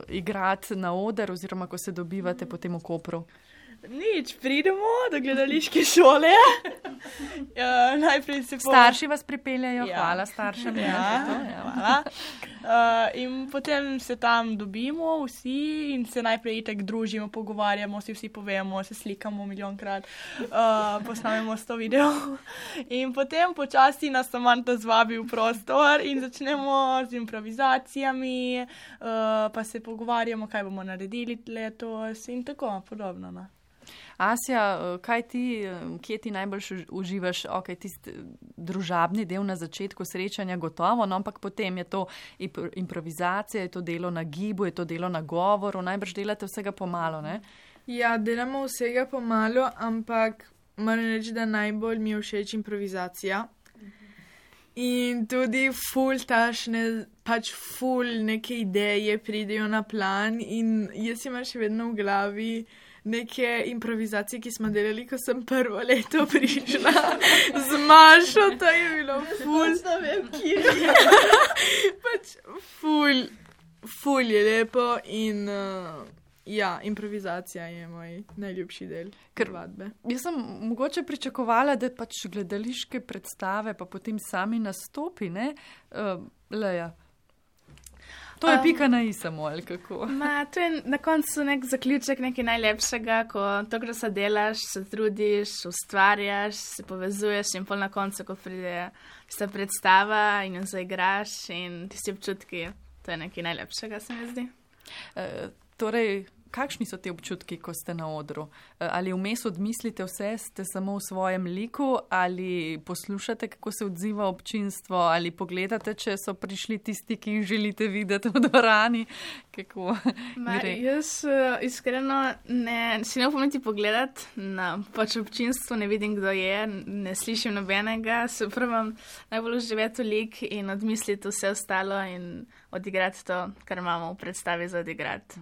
S2: igrati na oder oziroma ko se dobivate potem v Kopru?
S4: Nič, pridemo do gledališke šole. Najprej se
S2: Starši vas pripeljajo,
S4: Ja.
S2: hvala staršem.
S4: Hvala. In potem se tam dobimo vsi in se najprej itak družimo, pogovarjamo, si vsi povemo, se slikamo milijonkrat, posnamemo 100 videov. In potem počasi nas Samanta zvabi v prostor in začnemo z improvizacijami, pa se pogovarjamo, kaj bomo naredili letos in tako podobno. No.
S2: Asja, kje ti najbolj uživaš? Ok, tisti družabni del na začetku srečanja gotovo, no, ampak potem je to improvizacija, je to delo na gibu, je to delo na govoru, najbrž delate vsega pomalo, ne?
S5: Ja, delamo vsega pomalo, ampak moram reči, da najbolj mi je všeč improvizacija. In tudi ful neke ideje pridejo na plan in jaz imam še vedno v glavi neke improvizacije, ki smo delali, ko sem prvo leto prišla z Mašo, to je bilo ful.
S3: Ne vem, kje.
S5: Ful je lepo in ja, improvizacija je moj najljubši del vadbe.
S2: Jaz sem mogoče pričakovala, da pač gledališke predstave pa potem sami nastopi, ne? Leja. To je pika na i samo, ali kako?
S6: To je na koncu nek zaključek nekaj najlepšega, ko to, kar se delaš, se trudiš, ustvarjaš, se povezuješ in pol na koncu, ko pride ta predstava in jo zaigraš in tisti občutki, to je nekaj najlepšega, se mi zdi.
S2: Torej, kakšni so ti občutki, ko ste na odru? Ali vmes odmislite vse, ste samo v svojem liku, ali poslušate, kako se odziva občinstvo, ali pogledate, če so prišli tisti, ki jih želite videti v dvorani? Kako gre?
S6: Jaz iskreno si ne upam niti pogledati na pač občinstvo, ne vidim, kdo je, ne slišim nobenega, se pravim najbolj uživati v lik in odmisliti vse ostalo in odigrati to, kar imamo v predstavi za odigrati.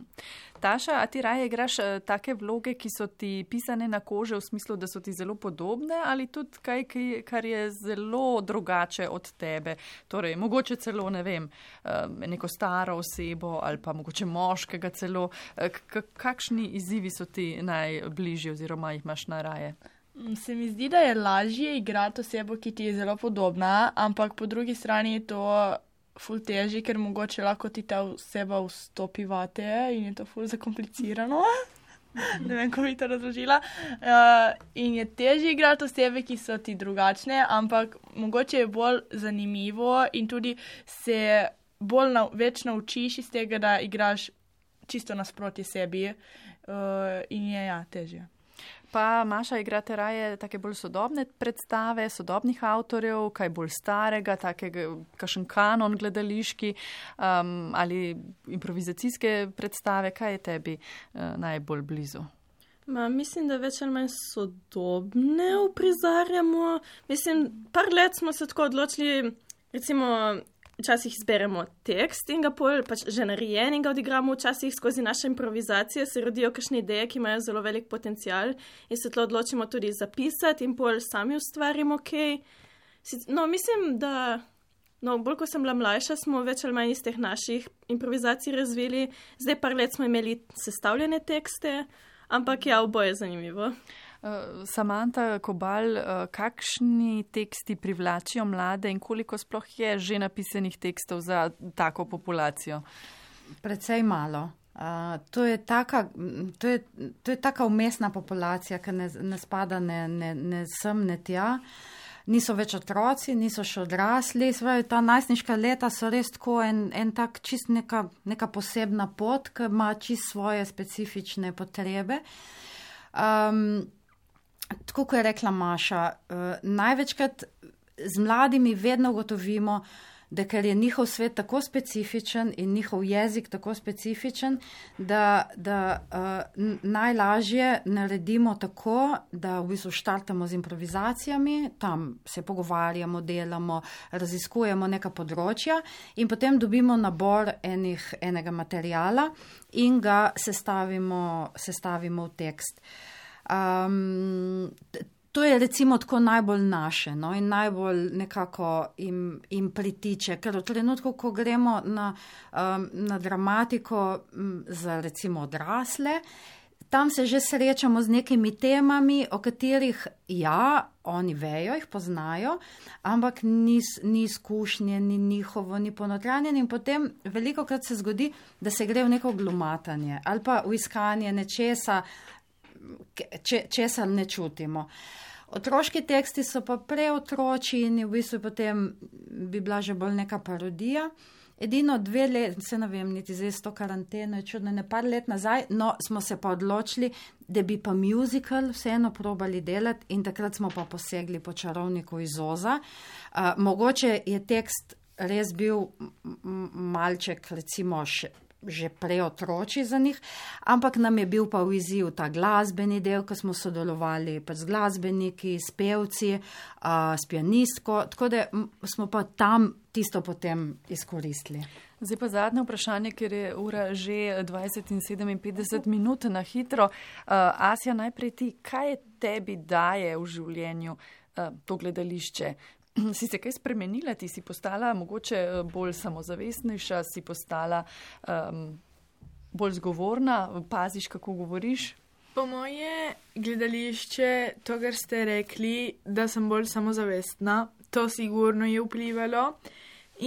S2: Taša, a ti raje igraš take vloge, ki so ti pisane na kože v smislu, da so ti zelo podobne ali tudi kaj, kar je zelo drugače od tebe? Torej, mogoče celo, ne vem, neko staro osebo ali pa mogoče moškega celo. Kakšni izzivi so ti najbližji oziroma jih imaš najraje?
S4: Se mi zdi, da je lažje igrati osebo, ki ti je zelo podobna, ampak po drugi strani je to ful težji, ker mogoče lahko ti ta oseba vstopi vate in je to ful zakomplicirano. Ne vem, ko bi to razložila. In je težje igrati osebe, ki so ti drugačne, ampak mogoče je bolj zanimivo in tudi se več naučiš iz tega, da igraš čisto nasproti sebi in je težje.
S2: Pa Maša, igrate raje take bolj sodobne predstave, sodobnih avtorjev, kaj bolj starega, takega, kakšen kanon gledališki ali improvizacijske predstave, kaj je tebi najbolj blizu?
S3: Mislim, da več ali manj sodobne uprizarjamo. Mislim, par let smo se tako odločili, recimo, včasih izberemo tekst in ga pol pač že narejen in ga odigramo, včasih skozi naše improvizacije se rodijo kakšne ideje, ki imajo zelo velik potencial in se tlo odločimo tudi zapisati in pol sami ustvarimo kaj. No, mislim, da bolj ko sem bila mlajša, smo več ali manj iz teh naših improvizacij razvili. Zdaj par let smo imeli sestavljene tekste, ampak ja, oboje je zanimivo.
S2: Samanta Kobal, kakšni teksti privlačijo mlade in koliko sploh je že napisanih tekstov za tako populacijo?
S7: Precej malo. To je taka umestna populacija, ki ne spada ne sem, ne tja. Niso več otroci, niso še odrasli. Ta najstniška leta so res tako en tak čist neka posebna pot, ki ima čist svoje specifične potrebe. Tako, kot je rekla Maša, največkrat z mladimi vedno ugotovimo, da ker je njihov svet tako specifičen in njihov jezik tako specifičen, da najlažje naredimo tako, da v bistvu štartamo z improvizacijami, tam se pogovarjamo, delamo, raziskujemo neka področja in potem dobimo nabor enega materijala in ga sestavimo v tekst. To je recimo tako najbolj naše, no, in najbolj nekako jim pritiče, ker v trenutku, ko gremo na dramatiko za recimo odrasle, tam se že srečamo z nekimi temami, o katerih oni vejo, jih poznajo, ampak ni izkušnje, ni njihovo, ni ponotranjeno in potem velikokrat se zgodi, da se gre v neko glumatanje ali pa v iskanje nečesa, česar ne čutimo. Otroški teksti so pa preotroči in v bistvu potem bi bila že bolj neka parodija. Edino 2 leta, se ne vem, niti zdaj s to karanteno, je čudno, ne par let nazaj, no smo se pa odločili, da bi pa musical vseeno probali delati in takrat smo pa posegli po Čarovniku iz Oza. Mogoče je tekst res bil malček, recimo že preotroči za njih, ampak nam je bil pa v izziv ta glasbeni del, ko smo sodelovali pa z glasbeniki, s pevci, s pianistko, tako da smo pa tam tisto potem izkoristili.
S2: Zdaj pa zadnje vprašanje, ker je ura že 20 in 57 minut na hitro. Asja, najprej ti, kaj tebi daje v življenju to gledališče? Si se kaj spremenila, ti si postala mogoče bolj samozavestnejša, si postala bolj zgovorna, paziš, kako govoriš?
S5: Po moje gledališče, to, kar ste rekli, da sem bolj samozavestna, to sigurno je vplivalo.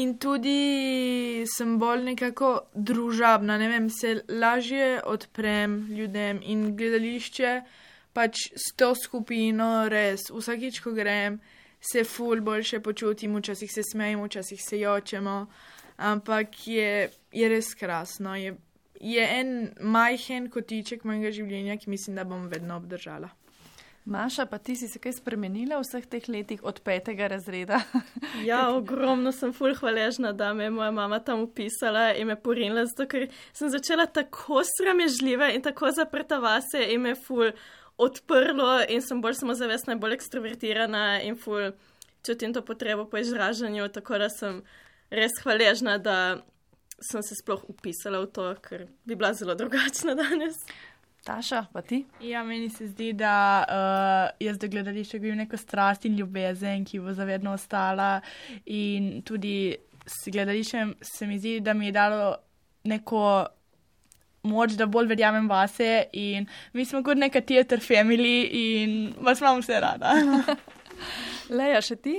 S5: In tudi sem bolj nekako družabna, ne vem, se lažje odprem ljudem in gledališče pač s to skupino res. Vsakič, ko grem, se ful boljše počutim, včasih se smejimo, včasih se jočemo, ampak je res krasno. Je en majhen kotiček mojega življenja, ki mislim, da bom vedno obdržala.
S2: Maša, pa ti si se kaj spremenila v vseh teh letih od 5. razreda?
S3: Ja, ogromno sem ful hvaležna, da me je moja mama tam upisala in me porinila, zato ker sem začela tako sramežljiva in tako zaprta vase in me ful odprlo in sem bolj samozavestna in bolj ekstrovertirana in ful čutim to potrebo po izražanju, tako da sem res hvaležna, da sem se sploh upisala v to, ker bi bila zelo drugačna danes.
S2: Taša, pa ti?
S4: Ja, meni se zdi, da jaz do gledališča gledam neko strast in ljubezen, ki bo zavedno ostala in tudi s gledališčem se mi zdi, da mi je dalo neko moč, da bolj verjamem vase in mi smo kot neka theater family in vas imam vse rada.
S2: Leja, še ti?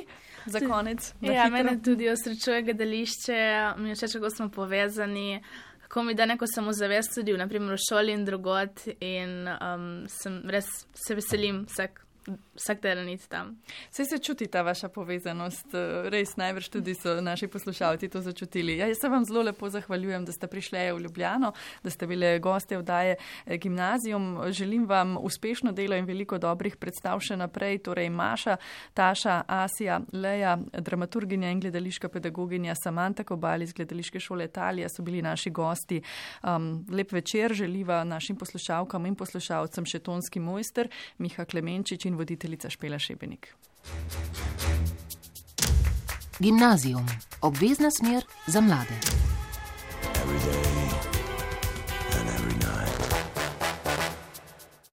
S2: Za konec.
S6: Ja, mene tudi osrečuje gledališče, mi je všeč, kako smo povezani, kako mi da neko samozavest tudi, naprimer v šoli in drugod in res se veselim vsak teden iti tam.
S2: Saj se čuti ta vaša povezanost, res najbrž tudi so naši poslušalci to začutili. Ja, jaz se vam zelo lepo zahvaljujem, da ste prišli v Ljubljano, da ste bile goste vdaje Gimnazijum. Želim vam uspešno delo in veliko dobrih predstav še naprej. Torej Maša, Taša, Asja, Leja, dramaturginja in gledališka pedagoginja Samanta Kobal iz Gledališke šole Italija so bili naši gosti. Lep večer želiva našim poslušalkam in poslušalcem še tonski mojster Miha Klemenčič in voditeljica Špela Šebenik.
S1: Gimnazijum. Obvezna smer za mlade.
S8: Every day